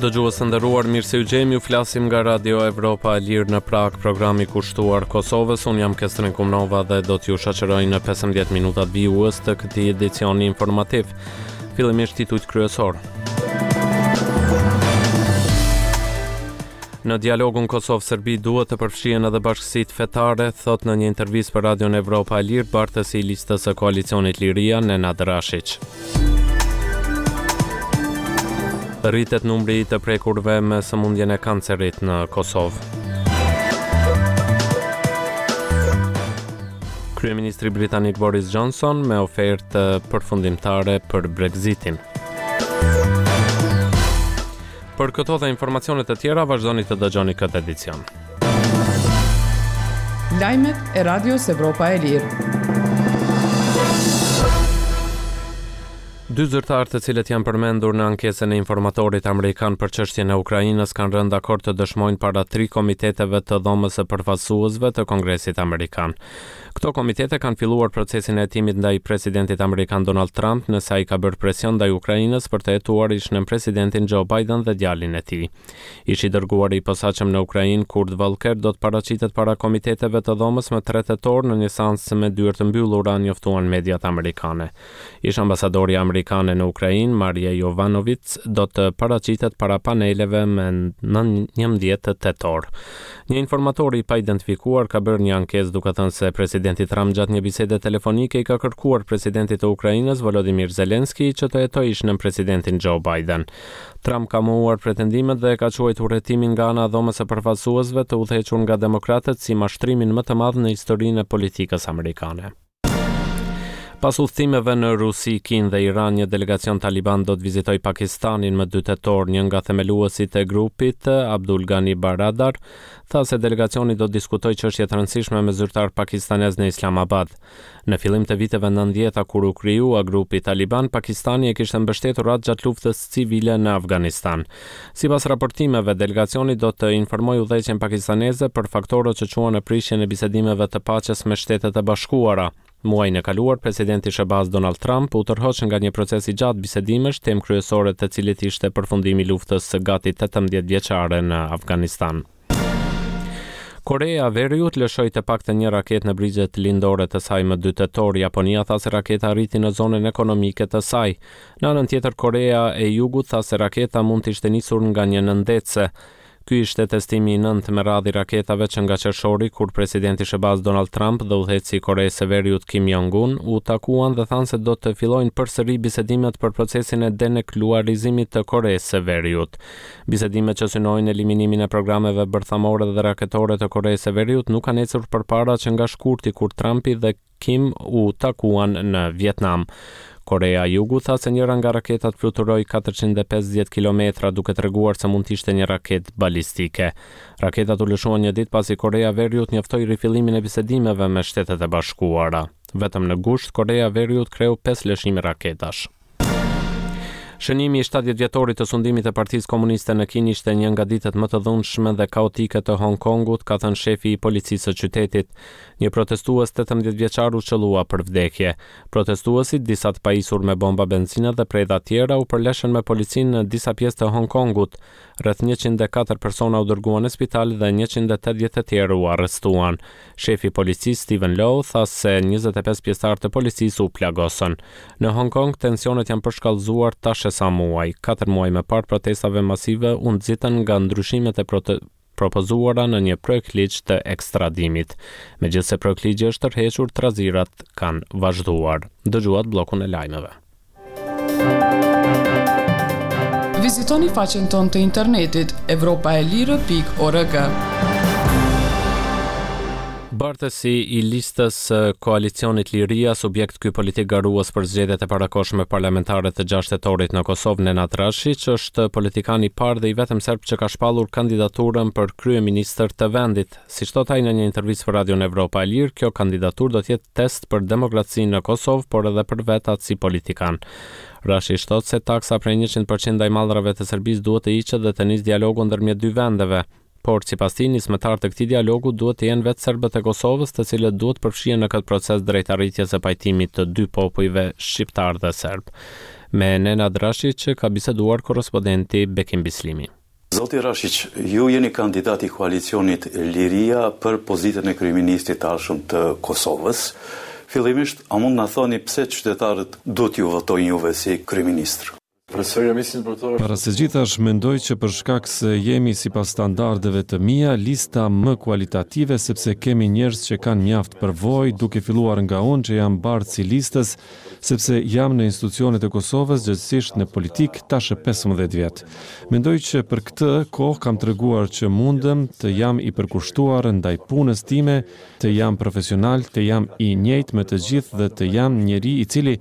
Dëgjues të nderuar, mirë se ju gjejmë, ju flasim nga Radio Evropa e Lirë në Pragë, programi kushtuar Kosovës. Unë jam Kestrin Kumnova dhe do t'ju shoqëroj në 15 minutat vijues të këtij edicioni informativ. Fillimisht titujt kryesorë. Në dialogun Kosovë-Serbi duhet të përfshihen edhe bashkësitë fetare, thotë në një intervistë për Radion Evropa e Lirë bartësi i listës së koalicionit Liria, Nenad Rashiq. Rritet numri i të prekurve me sëmundjen e kancerit në Kosovë. Kryeministri britanik Boris Johnson me ofertë përfundimtare për Brexitin. Për këto dhe informacione të tjera vazhdoni të dëgjoni këtë edicion. Lajmet e Radios Evropa e Lirë. Dy zyrtarë të cilët janë përmendur në ankesën e informatorit amerikan për çështjen e Ukrainës kanë rënë dakord të dëshmojnë para tri komiteteve të Dhomës së Përfaqësuesve të Kongresit Amerikan. Këto komitete kanë filluar procesin e hetimit ndaj presidentit amerikan Donald Trump nëse ai ka bërë presion ndaj Ukrainës për të hetuar ish-nënpresidentin Joe Biden dhe djalin e tij. Ish i dërguari i posaçëm në Ukrainë, Kurt Volker, do të paraqitet para komiteteve të dhomës më 3 tetor në një seancë me dyer të mbyllura, njoftuan mediat amerikane. Ish-ambasadorja amerikane në Ukrainë, Marie Yovanovitch, do të paraqitet para paneleve më 11 tetor. Një informator i paidentifikuar ka bërë një ankesë duke thënë se presidenti Trump gjatë një bisede telefonike i ka kërkuar presidentit të Ukrainës, Volodymyr Zelensky, që të hetojë ish-nënpresidentin Joe Biden. Trump ka mohuar pretendimet dhe e ka quajtur hetimin nga ana e Dhomës së Përfaqësuesve të udhëhequr nga demokratët si mashtrimin më të madh në historinë e politikës amerikane. Pas udhëtimeve në Rusi, Kinë dhe Iran, një delegacion taliban do të vizitojë Pakistanin më 2 tetor. Një nga themeluesit e grupit, Abdul Ghani Baradar, tha se delegacioni do të diskutojë çështje të rëndësishme me zyrtarë pakistanezë në Islamabad. Në fillim të viteve 90-ta kur u krijua grupi taliban, Pakistani e kishte mbështetur atë gjatë luftës civile në Afganistan. Sipas raportimeve, delegacioni do të informojë udhëheqjen pakistaneze për faktorët që çuan në prishjen e bisedimeve të paqes me Shtetet e Bashkuara. Muajin e kaluar, presidenti i SHBA-së Donald Trump u tërhoq nga një proces i gjatë bisedimesh, temë kryesore të cilit ishte përfundimi i luftës gati 18 vjeçare në Afganistan. Koreja e Veriut lëshoi të paktën një raketë në brigjet lindore të saj më 2 tetor. Japonia tha se raketa arriti në zonën ekonomike të saj. Në anën tjetër, Koreja e Jugut tha se raketa mund të ishte nisur nga një nëndetëse. Ky ishte testimi i nëntë me radhë i raketave që nga qershori, kur presidenti i SHBA-së Donald Trump dhe udhëheqësi i Koresë së Veriut Kim Jong-un u takuan dhe thanë se do të fillojnë përsëri bisedimet për procesin e denuklearizimit të Koresë së Veriut. Bisedimet që synojnë eliminimin e programeve bërthamore dhe raketore të Koresë së Veriut nuk kanë ecur përpara që nga shkurti kur Trumpi dhe Kim u takuan në Vietnam. Koreja e Jugut tha se njëra nga raketat fluturoi 450 kilometra, duke treguar se mund të ishte një raketë balistike. Raketat u lëshuan një ditë pasi Koreja e Veriut njoftoi rifillimin e bisedimeve me Shtetet e Bashkuara. Vetëm në gusht, Koreja e Veriut kreu pesë lëshime raketash. Shënimi i 70 vjetorit të sundimit të Partisë Komuniste në Kinë ishte një nga ditët më të dhunshme dhe kaotike të Hong Kongut, ka thënë shefi i policisë së qytetit. Një protestues 18 vjeçar u qëllua për vdekje. Protestuesit, disa të pajisur me bomba benzine dhe predha tjera, u përleshën me policinë në disa pjesë të Hong Kongut. Rreth 104 persona u dërguan në spital dhe 180 të tjerë u arrestuan. Shefi i policisë Steven Lau tha se 25 pjesëtarë të policisë u plagosën. Në Hong Kong tensionet janë përshkallëzuar tash e sa muaj. Katër muaj më parë protestave masive u nxitën nga ndryshimet e propozuara në një projektligj të ekstradimit. Megjithëse projektligji është tërhequr, trazirat kanë vazhduar. Dëgjuat bllokun e lajmeve. Vizitoni faqen tonë të internetit evropaelire.org. Bartësi i listës së koalicionit Liria, subjekt ky politik garues për zgjedhjet e parakohshme parlamentare të 6 tetorit në Kosovë, Nenad Rashiq, është politikani i parë dhe i vetëm serb që ka shpallur kandidaturën për kryeministër të vendit. Siç thotë ai në një intervistë për Radion Evropa e Lirë, kjo kandidaturë do të jetë test për demokracinë në Kosovë, por edhe për vetë atë si politikan. Rashiq thotë se taksa prej 100% ndaj mallrave të Serbisë duhet të hiqet dhe të nisë dialogu ndërmjet dy vendeve. Por, sipas tij, nismëtarë të këtij dialogu duhet të jenë vetë serbët e Kosovës, të cilët duhet të përfshihen në këtë proces drejt arritjes së pajtimit të dy popujve, shqiptarë dhe serbë. Me Nenad Rashiq ka biseduar korrespondenti Bekim Bislimi. Zoti Rashiq, ju jeni kandidat i koalicionit Liria për pozitën e kryeministrit të ardhshëm të Kosovës. Fillimisht, a mund të na thoni pse qytetarët duhet t'ju votojnë juve si kryeministër? Para së gjithash, mendoj që për shkak se jemi sipas standardeve të mia, lista më kualitative sepse kemi njerëz që kanë mjaft përvojë, duke filluar nga unë që jam bartës i listës, sepse jam në institucionet e Kosovës, gjegjësisht në politikë, tash e 15 vjet. Mendoj që për këtë kohë kam treguar që mundem të jam i përkushtuar ndaj punës time, të jam profesional, të jam i njëjtë me të gjithë dhe të jam njeri i cili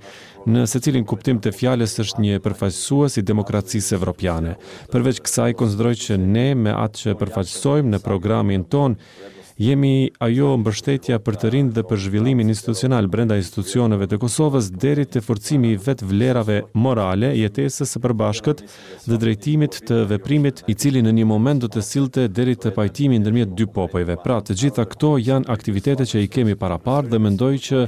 në secilin kuptim të fjalës është një përfaqësues i demokracisë evropiane. Përveç kësaj, konsideroj që ne me atë që përfaqësojmë në programin tonë, Jemi ajo mbështetja për të rinjtë dhe për zhvillimin institucional brenda institucioneve të Kosovës deri te forcimi i vetë vlerave morale, jetesës së përbashkët dhe drejtimit të veprimit, i cili në një moment do të sillte deri te pajtimi ndërmjet dy popujve. Pra, të gjitha këto janë aktivitete që i kemi paraparë dhe mendoj që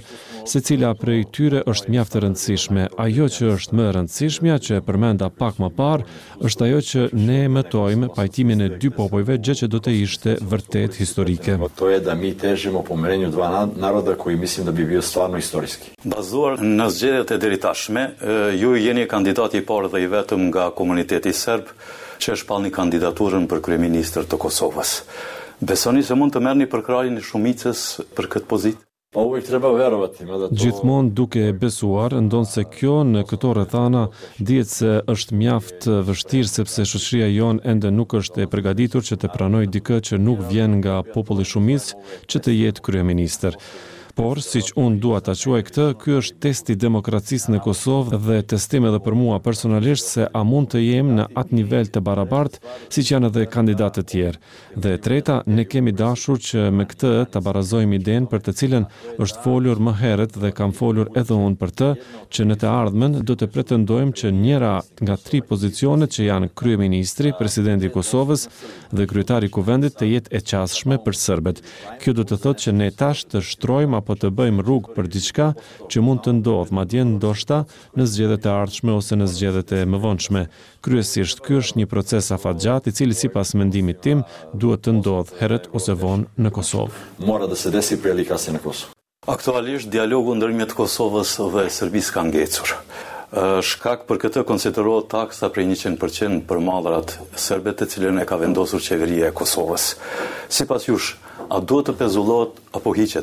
secila prej tyre është mjaft e rëndësishme. Ajo që është më e rëndësishmja, që e përmenda pak më parë, Është ajo që ne mëtojmë pajtimin e dy popujve, gjë që do të ishte vërtet historike. To je da mi težimo pomirenju dva naroda koji mislim da bi bio stvarno istorijski. Bazuar në zgjedhjet e deritashme, ju jeni kandidati i parë dhe i vetëm nga komuniteti serb që e shpallni kandidaturën për kryeministër të Kosovës. Besoni se mund të merrni përkrahjen e shumicës për këtë pozitë? Pa uvek treba verovati, mada to... Gjithmonë duke e besuar, ndonëse kjo në këto rrethana dihet se është mjaft vështirë sepse shoqëria jonë ende nuk është e përgatitur që të pranojë dikë që nuk vjen nga populli shumicë që të jetë kryeministër. Por, siç unë dua ta quaj këtë, ky është testi i demokracisë në Kosovë dhe testim edhe për mua personalisht se a mund të jem në atë nivel të barabartë siç janë edhe kandidatët e tjerë. Dhe e treta, ne kemi dashur që me këtë ta barazojmë idenë për të cilën është folur më herët dhe kam folur edhe unë për të, që në të ardhmen do të pretendojmë që njëra nga tri pozicionet që janë kryeministri, presidenti i Kosovës dhe kryetari i Kuvendit të jetë e qasshme për serbët. Kjo do të thotë që ne tash të shtrojmë apo të bëjmë rrugë për diçka që mund të ndodhë, madje ndoshta në zgjedhjet e ardhshme ose në zgjedhjet e mëvonshme. Kryesisht, ky është një proces afatgjatë i cili sipas mendimit tim duhet të ndodhë herët ose vonë në Kosovë. Mora da se desi prije ili kasnije na Kosovu. Aktualisht dialogu ndërmjet Kosovës dhe Serbisë ka ngecur. Shkak për këtë konsiderohet taksa prej 100% për mallrat serbe të cilën e ka vendosur qeveria e Kosovës. Sipas jush, a duhet të pezullohet apo hiqet?